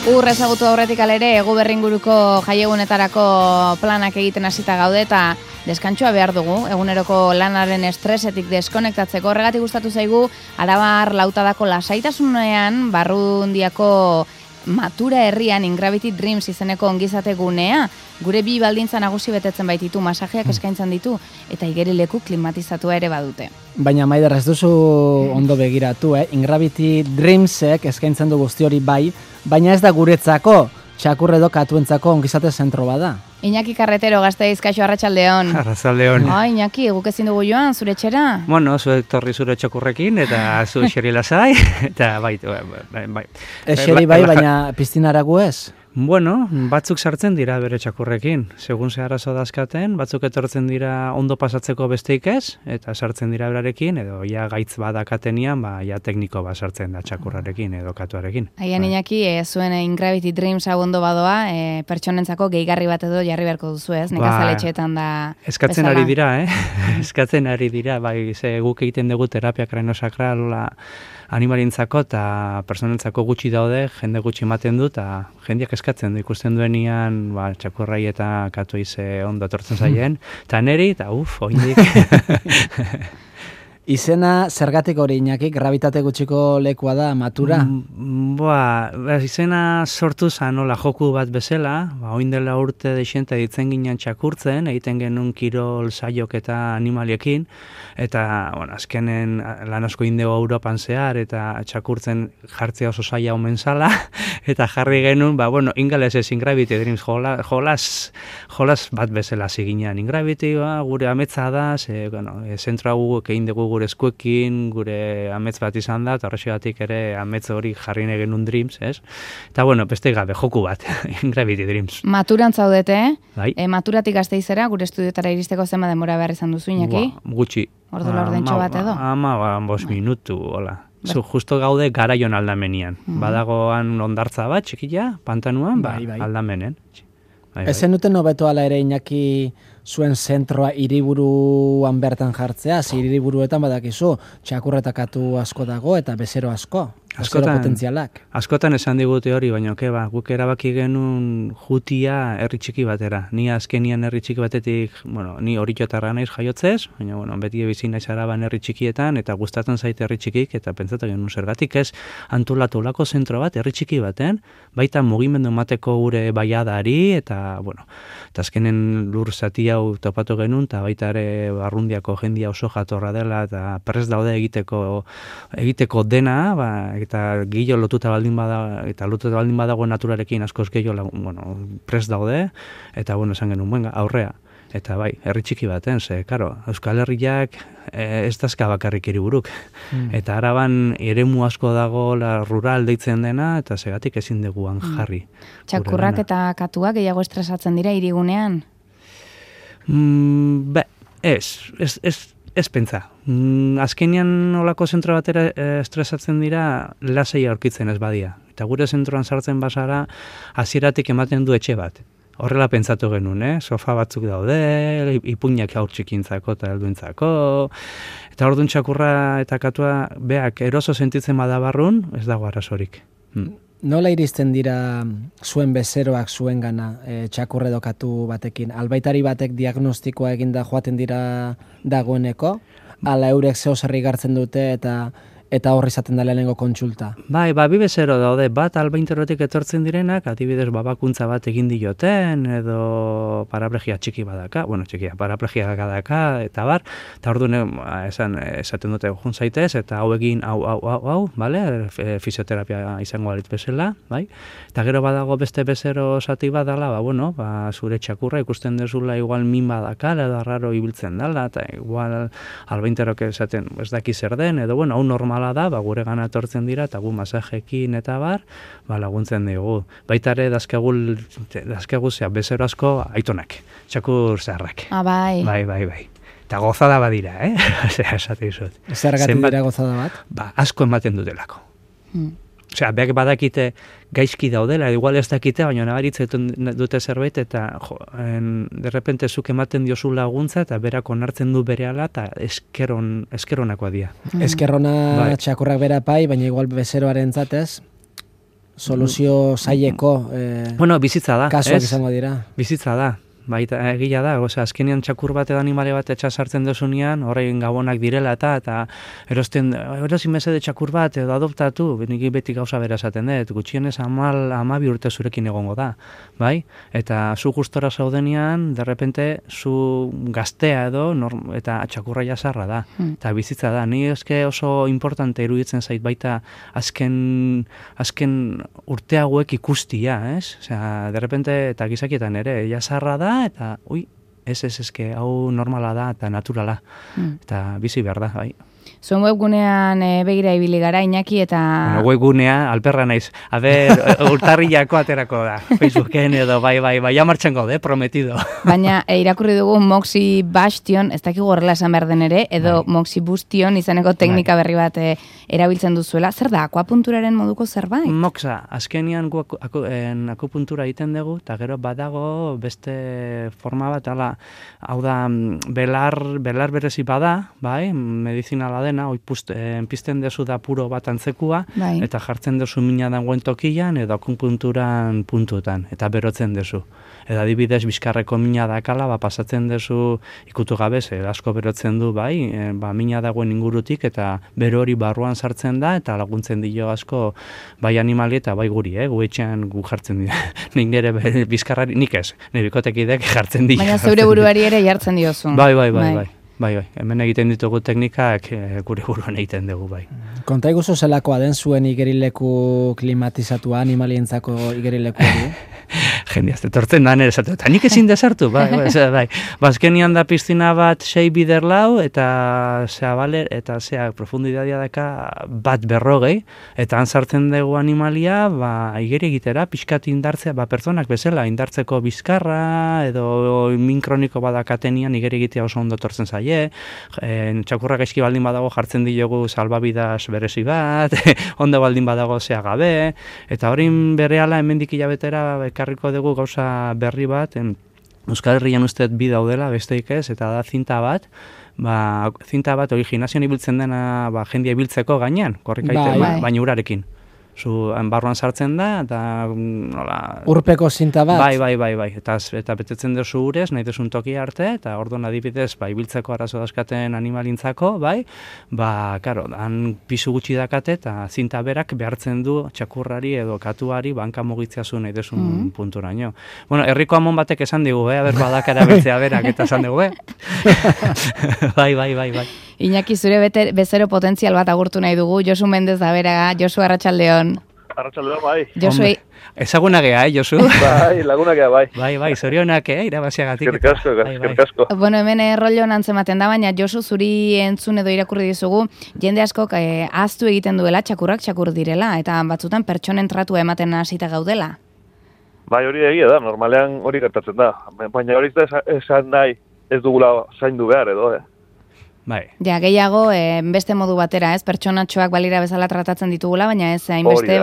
Ezagutu aurretik alere, egu berringuruko jaiegunetarako planak egiten hasita gaude eta deskantxoa behar dugu, eguneroko lanaren estresetik deskonektatzeko. Horregatik gustatu zaigu, Arabar Lautadako lasaitasunean Barrundiako Matura herrian Ingravity Dreams izeneko ongizate gunea, gure bi baldintza nagusi betetzen baititu, masajeak eskaintzen ditu eta igerileku klimatizatua ere badute. Baina Maider, ez duzu ondo begiratu, Ingravity Dreamsek eskaintzen du guzti hori bai, baina ez da guretzako, txakur edo katuentzako ongizate zentro bada. Iñaki Carretero, Gasteiz, kaixo, arratsaldeon. Arratsaldeon. Iñaki, guk ezin dugu joan, zure etxera? Bueno, zuek torri zure txakurrekin, eta zu xeri lasai, eta bai. Xeri bai, baina piztinara gu ez? Bueno, batzuk sartzen dira bere txakurrekin. Segun ze arazo dazkaten, batzuk etortzen dira ondo pasatzeko besteik ez, eta sartzen dira berarekin, edo ja gaitz badakatenian, ja tekniko bat sartzen da txakurrarekin edo katuarekin. Aian Iñaki, zuen Ingravity Dreams hau ondo badoa, pertsonentzako gehigarri bat edo jarri beharko duzu ez, nekazaletxeetan da eskatzen bezala. Ari dira, eskatzen ari dira, bai, ze guk egiten dugu terapia kraniosakral animalintzako eta personentzako gutxi daude, jende gutxi ematen du, eta jendeak eskatzen du, ikusten duenian, txakurrai eta katuei ze ondo etortzen zaien, eta neri, eta oindik. Izena zergatik hori, Iñaki, gravitate gutxiko lekua da, Matura? Izena sortu zan, joku bat bezala, oin dela urte deixenta ditzen ginen txakurtzen, egiten genuen kirol saiok eta animaliekin, eta, azkenen lan asko indego Europan zehar, eta txakurtzen jartzea oso zaila omen zala, eta jarri genuen, ingales ez Ingravity Dreams, jolas bat bezala ziginean. Ingravity, gure ametza da, zentroa guguk egin dugu gure eskuekin, gure amets bat izan da, eta horrexegatik ere amets hori jarri genuen Dreams, ez? Eta, beste gabe, joku bat, Ingravity Dreams. Maturan zaudete, bai. Maturatik Gasteizera, gure estudiotara iristeko zenba denbora behar izan duzu, Iñaki? Gutxi. Ordu laurdentxo bat edo? 5 minutu, hola. Justo gaude garaion aldamenian. Badagoan ondartza bat, txikila, pantanuan, aldamenen. Ezen duten hobeto ala ere, Iñaki, zuen zentroa hiriburuan bertan jartzea, hiriburuetan badakizu, txakurretakatu asko dago eta bezero asko. Askotan esan digute hori, baina guk erabaki genuen jutia herri txiki batera. Ni azkenian herri txiki batetik, ni Oriotarra naiz jaiotzez, baina beti bizi naiz Araban herri txikietan, eta gustatzen zaite herri txikik, eta pentsatu genuen zergatik ez antolatu lako zentro bat herri txiki baten, baita mugimendu emateko gure baiadari, eta azkenen lur zati hau topatu genuen, eta baita ere Barrundiako jendia oso jatorra dela, eta prest daude egiteko dena, eta gillo lotuta baldin badago naturarekin askoz gehiago prest daude, eta esan genuen, aurrea. Eta herri txiki baten, Euskal Herriak ez dazka bakarrik hiriburuk. Eta Araban eremu asko dago rural deitzen dena, eta segatik ezin duguan jarri. Txakurrak eta katuak gehiago estresatzen dira hirigunean? Ez pentsa. Azkenean olako zentro batera estresatzen dira lasai aurkitzen ez badia. Eta gure zentroan sartzen basara hasieratik ematen du etxe bat. Horrela pentsatu genuen, sofa batzuk daude, ipuinak haur txikintzako eta helduentzako. Eta orduan txakurra eta katua beak eroso sentitzen badabarrun, ez dago arazorik. Nola iristen dira zuen bezeroak zuen gana txakurre dokatu batekin? Albaitari batek diagnostikoa eginda joaten dira dagoeneko? Ala eurek zeo zerri gartzen dute eta horri izaten da lehenengo kontsulta? Bi bezero daude, bat albainterotik etortzen direnak, adibidez babakuntza bat egin dioten, edo paraplegia txiki badaka, paraplegia badaka, eta bar, eta orduan esaten dute jun zaitez, eta hau egin, hau, fisioterapia izango balitz bezala, bai? Eta gero badago beste bezero zati badala, zure txakurra ikusten dezula igual min badaka, edo arraro ibiltzen dala, eta igual albainterok esaten ez daki zer den, edo hau normal da, gure gana etortzen dira, eta gu masajekin eta bar, laguntzen dugu. Baita ere, dazkegu bezero asko aitonak, txakur zaharrak. Bai. Bai. Eta gozada badira, esate izut. Zergatik dira gozada bat? Asko ematen dutelako. Osea, beak badakite gaizki daudela, igual ez dakite, baina nabaritzen dute zerbait, eta derrepente zuk ematen diozu laguntza, eta berak onartzen du berehala, eta eskeronakoa dira. Eskerrona txakurrak bera pai, baina igual bezeroaren zatez, soluzio zaileko bueno, bizitza da, kasuak izango dira. Bizitza da. Baita egia da, azkenean txakur bat edo animale bat etxa sartzen desunean, horrein gabonak direla eta erosin mesede txakur bat edo adoptatu, nik beti gauza bera esaten dut, gutxienez 12 urte zurekin egongo da, bai? Eta zu gustora zaudenean, derrepente, zu gaztea edo, eta txakurra jasarra da, eta bizitza da. Ni eske oso importante iruditzen zait baita azken urte hauek ikustia, ez? Osea, derrepente, eta gizakietan ere, jasarra da, eta, eske, hau normala da, eta naturala, eta bizi behar da, bai. Zuen webgunean begira ibili gara, Iñaki, eta... Bueno, webgunea, alperra naiz. A ber, urtarrilako aterako da. Facebooken edo, bai, ja martxan gaude, prometido. Baina, irakurri dugu Moxi Bastion, ez dakik horrela esan behar den ere, edo Moxi Bustion izaneko teknika berri bat erabiltzen duzuela. Zer da, akuapunturaren moduko zerbait? Moxa, azkenian akupuntura egiten dugu, eta gero badago beste forma bat, hau da, belar berezi bada, bai, medizinala dena, pizten dezu da puro bat antzekua, eta jartzen dezu mina dagoen tokian, edo akupunturan puntutan, eta berotzen dezu. Eta adibidez, bizkarreko mina dakala, pasatzen dezu ikutu gabe, asko berotzen du, mina dagoen ingurutik, eta bero hori barruan sartzen da, eta laguntzen dio asko, bai animali eta bai guri, gu etxean gu jartzen dira. Nik nire bizkarrari, nik ez, nire bikotekidek jartzen dira. Baina zeure buruari ere jartzen diozu. Bai, hemen egiten ditugu teknikak gure buruan egiten dugu, bai. Konta iguzu zelakoa den zuen igerileku klimatizatua, animalientzako igerileku hori? Jende, azte tortzen da nire esatu, eta nik ezin desartu, bai. Bazkenian da piztina bat 6 bider lau, eta zea profundidadia daka bat 150, eta hantzartzen dugu animalia, igeri egitera, pixkat indartzea, pertsonak bezala, indartzeko bizkarra, edo minkroniko badakatenian igeri egitea oso ondo tortzen zaie, txakurra gaizki baldin badago jartzen diogu salbabidas berezi bat, ondo baldin badago zea gabe, eta horin berehala hemendik hilabetera ekarriko dugu gauza berri bat, Euskal Herrian usteet bi daudela, besteik ez, eta da zinta bat, hori gimnasioan ibiltzen dena jendia ibiltzeko gainean, korrikaiten, baina urarekin. Zu barruan sartzen da, eta nola... Urpeko zinta bat? Bai. Eta betetzen duzu urez, nahi duzun toki arte, eta orduan adibidez, ibiltzeko arazo dauzkaten animalintzako, karo, han pisu gutxi dakate, eta zinta berak behartzen du txakurrari edo katuari banka mugitzea zu nahi duzun punturaino. Bueno, herriko amon batek esan digu, aber badakara bertzea berak, eta esan dugu, Bai. Iñaki, zure bezero potentzial bat agurtu nahi dugu, Josu Mendez da bera, Josu Arratsaldeon. Arratsaldeon, bai. Josu, ezaguna gea, Josu? Bai, laguna gea, bai. Bai, zorionak, irabaziagatik. Eskerrik asko. Bueno, hemen rollo antzematen da, baina Josu, zuri entzun edo irakurri dizugu, jende askok ahaztu egiten duela, txakurrak txakur direla, eta batzutan pertsonen tratua ematen hasita gaudela. Bai, hori egia da, normalean hori gertatzen da. Baina hori esan nahi ez dugula zaindu behar edo, Bai. Ja, gehiago, beste modu batera, ez? Pertsonatxoak balira bezala tratatzen ditugula, baina ez hainbeste,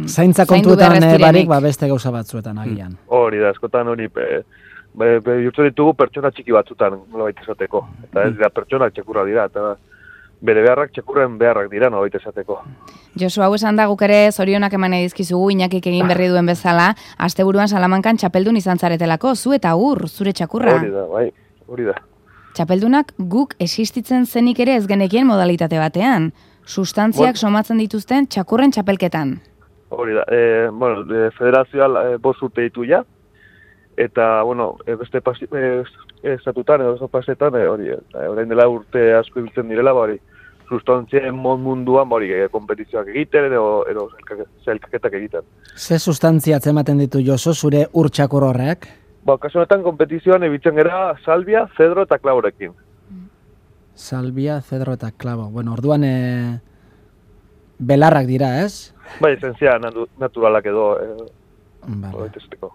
zaintza kontuetan barik, beste gauza batzuetan agian. Hori da, eskotan hori, jurtzen ditugu pertsona txiki batzutan, nolabait esateko. Eta ez dira pertsonak txakurra dira, eta bere beharrak txakurren beharrak dira, nolabait esateko. Josu, hau esan da guk ere zorionak eman edizkizugu, Iñakik egin berri duen bezala, asteburuan Salamankan txapeldun izan zaretelako, zu eta zure txakurra. Hori da, bai, hori da. Txapeldunak guk existitzen zenik ere ez genekien modalitate batean. Sustantziak somatzen dituzten txakurren txapelketan. Hori da, federazioa 5 urte ditu ja, eta, beste estatutan, edo pasetan, orain dela urte asko ibiltzen direla, sustantzien munduan, kompetizioak egiten, edo zailkaketak egiten. Ze sustantzia ematen ditu Josu, zure txakur horrek? Kasu honetan kompetizioan ebitzen gara salbia, zedro eta klaborekin. Salbia, zedro eta klabo. Bueno, orduan belarrak dira, ez? Bai, esentzia naturalak edo.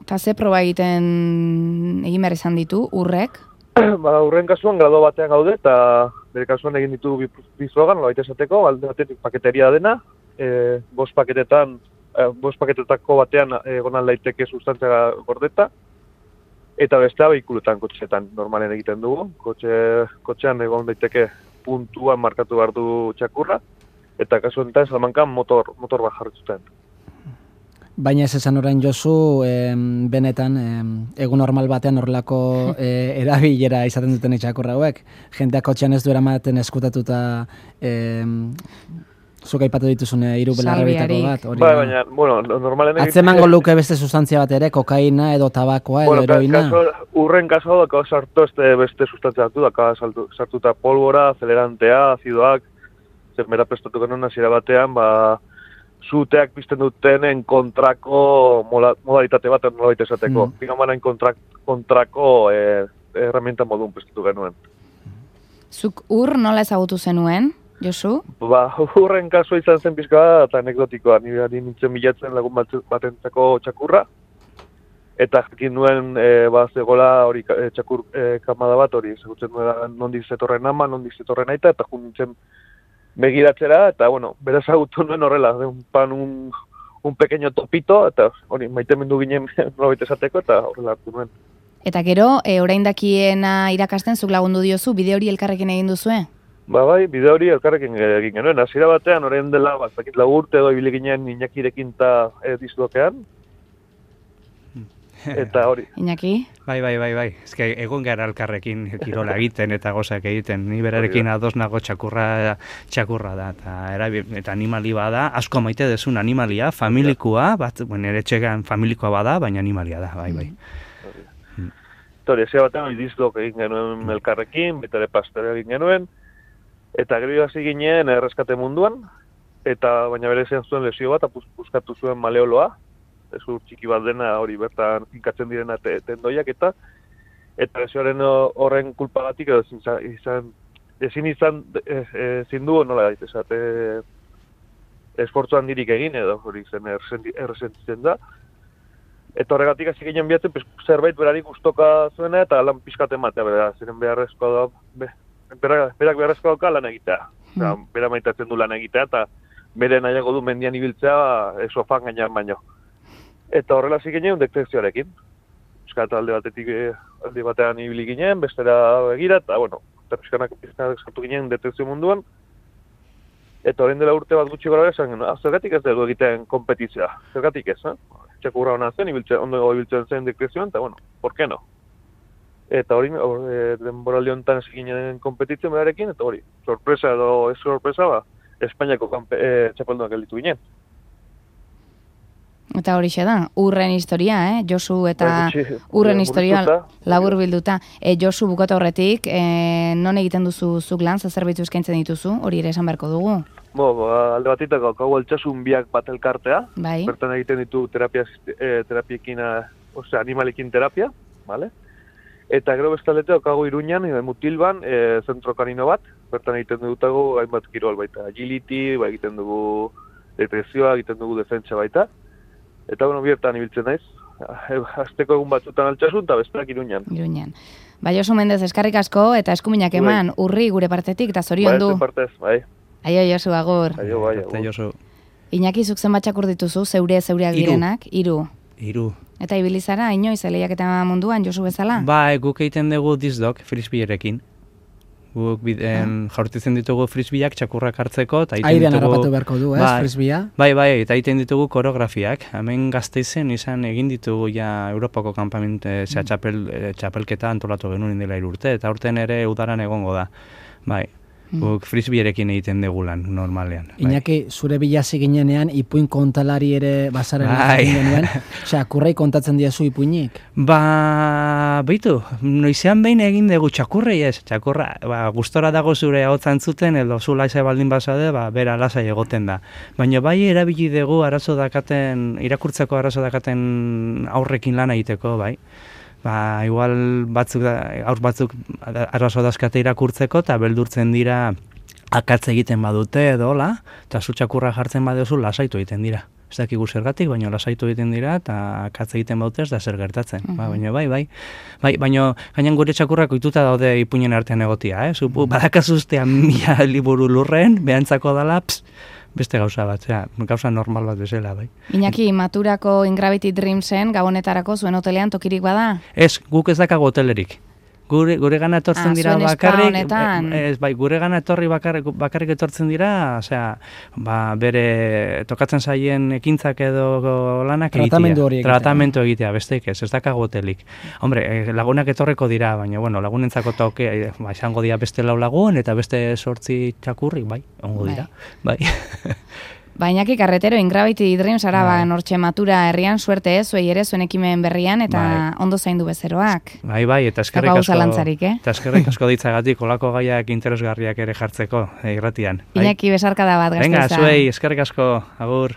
Eta ze proba egin behar izan ditu, urrek? Urren kasuan grado batean gaude, eta bere kasuan egin ditu bizogan, nolabait esateko, alde batetik paketeria dena, 5 paketetako batean egonan daiteke sustantzia gordeta, eta bestea behikulutan, kotxetan normalen egiten dugu. Kotxean egon daiteke puntuan markatu behar du txakurra, eta kasu honetan Salamankan motor bat jarritzuten. Baina ez esan orain Josu, benetan, egun normal batean horrelako erabilera izaten duten txakurra hauek. Jendeak kotxean ez du eramaten eskutatuta zuk aipatu dituzun hiru belarrebitako bat. Baina, bueno, normalen... Atzemango luke beste sustantzia bat ere, kokaina edo tabakoa edo heroina. Urren kaso daka sartu beste sustantzia hartu, daka sartuta polbora, acelerantea, azidoak, zenbera prestatu genuen hasiera batean, zuteak pizten dutenen kontrako modalitate bat nolabait esateko. Pigamanain kontrako herramienta modun prestatu genuen. Zuk nola ezagutu zenuen, Josu? Urren kasua izan zen pizka eta anekdotikoa. Ni nintzen bilatzen lagun batentzako txakurra. Eta jakin nuen zegoela hori txakur kamada bat hori. Ezagutzen nuen nondik zetorren ama, nondik zetorren aita, eta jun nintzen begiratzera, eta, bueno, beraz agutu nuen horrela, un pequeño topito, eta hori, maitemendu ginen nolabait esateko, eta horrela hartu nuen. Eta gero, orain dakiena irakasten zuk lagundu diozu, bide hori elkarrekin egin duzue? Bai, bide hori elkarrekin egin genuen. Hasiera batean, orain dela, zakit urte edo ibili ginen Iñakirekin eta dizlokean. Eta hori. Iñaki? Bai. Ez que egon gara elkarrekin kirola egiten eta gozak egiten. Ni berarekin ados nago txakurra da. Eta animali bada, asko maite dezun animalia, familikoa, ere txegan familikoa bada, baina animalia da, bai. Eta hori, ezea batean, dizlok egin genuen elkarrekin, betare pastere egin genuen, eta gero hasi ginen erreskate munduan, eta baina bere zean zuen lesio bat, puskatu zuen maleoloa, ezur txiki bat dena hori bertan finkatzen direna tendoiak eta lesioaren horren kulpagatik edo ezin du nola gaitezat esfortzu handirik egin edo hori zen erresentitzen da. Eta horregatik hasi ginen bihatzen zerbait berari gustoka zuena eta lan pizkat ematea, ziren beharrezkoa da, berak beharrezkoa dauka lan egitea. Bera maitatzen du lan egitea eta bere nahiago du mendian ibiltzea sofan gainean baino. Eta horrela hasi ginen detekzioarekin. Euskal alde batean ibili ginen, bestera begira, eta, bueno, pizkanak sartu ginen detekzio munduan. Eta orain dela urte bat gutxi gara esan genuen, zergatik ez dugu egiten kompetizioa, zergatik ez, txakurra hona zen, ondo ibiltzen zen detekzioan, eta, bueno, por qué no? Eta hori, denboraldi honetan hasi ginen kompetizio berarekin, eta hori, sorpresa edo ez sorpresa, Espainiako txapeldunak gelditu ginen. Eta hori da, urren historia, Josu eta urren historia labur bilduta. Josu bukatu horretik, non egiten duzu zuk lan, zerbitzu eskaintzen dituzu, hori ere esan beharko dugu? Alde batitako, hau altsasun biak bat elkartea, bai. Bertan egiten ditu terapiekin, animalekin terapia, vale? Eta gero bestalete, hau Iruñan, Mutilban, zentro kanino bat, bertan egiten dutago hainbat kirol baita, agility, egiten dugu depresioa, egiten dugu defentsa baita. Eta bueno, biertan ibiltzen naiz. Azteko egun batzutan altsasun eta besteak Iruñan. Josu Mendez, eskarrik asko eta eskuminak eman, urri gure partetik eta zorion du. Bai. Aio, Josu, agur. Aio, Josu. Iñaki, zuk zenbat txakur dituzu, zeureak direnak? 3. 3. Eta ibilizara, inoiz, lehiak eta munduan, Josu bezala? Guk egiten dugu dizdok, frisbeerekin. Guk jaurtitzen ditugu frisbeak txakurrak hartzeko. Airean harrapatu beharko du, frisbea? Bai, eta egiten ditugu koreografiak. Hemen Gasteizen izan egin ditugu Europako kanpamente txapelketa antolatu genuen dela 3 urte, eta urten ere udaran egongo da. Bai, guk frisbeerekin egiten dugu lan, normalean. Iñaki, zure bilazi ginenean, ipuin kontalari ere bazarela egin genuen. Txakurrei kontatzen diazu ipuinik? Beitu, noizean behin egin dugu txakurrei ez. Txakurra, gustora dago zure ahotzan zuten, edo zu laisa baldin bazade, bera lasai egoten da. Baina bai erabili dugu irakurtzeko arazo dakaten aurrekin lan egiteko, bai. Igual aur batzuk arazo dazkate irakurtzeko eta beldurtzen dira akatz egiten badute edo hola, eta zu txakurra jartzen baduzu lasaitu egiten dira. Ez dakigu zergatik, baina lasaitu egiten dira eta akatz egiten badute ez da zer gertatzen. Baina baina gainan gure txakurrak ohituta daude ipuinen artean egotia, badakazuztean 1000 liburu lurren, behantzako dala, beste gauza bat, gauza normal bat bezala, bai. Iñaki, Maturako In Gravity Dreamsen gabonetarako zuen hotelean tokirik bada? Ez, guk ez dakago hotelerik. Gure gana etortzen dira bakarrik, bai, gure gana etorri bakarrik etortzen dira, osea, bere tokatzen zaien ekintzak edo lanak tratamendu egitea, besteik ez dakago hotelik. Hombre, lagunak etorreko dira, baina, bueno, lagunentzako toke, izango dira beste 4 lagun, eta beste 8 txakurrik, bai, ongo dira, bai. Bainaki Carretero, Ingravity Dreams araba nortxe matura herrian, suerte ez, zuei ere zuen ekimen berrian, eta ondo zaindu bezeroak. Bai, eta eskerrik asko ditzagatik, olako gaiak interesgarriak ere jartzeko, irratian. Iñaki besarka da bat, gazteiza. Venga, zuei, eskerrik asko, agur.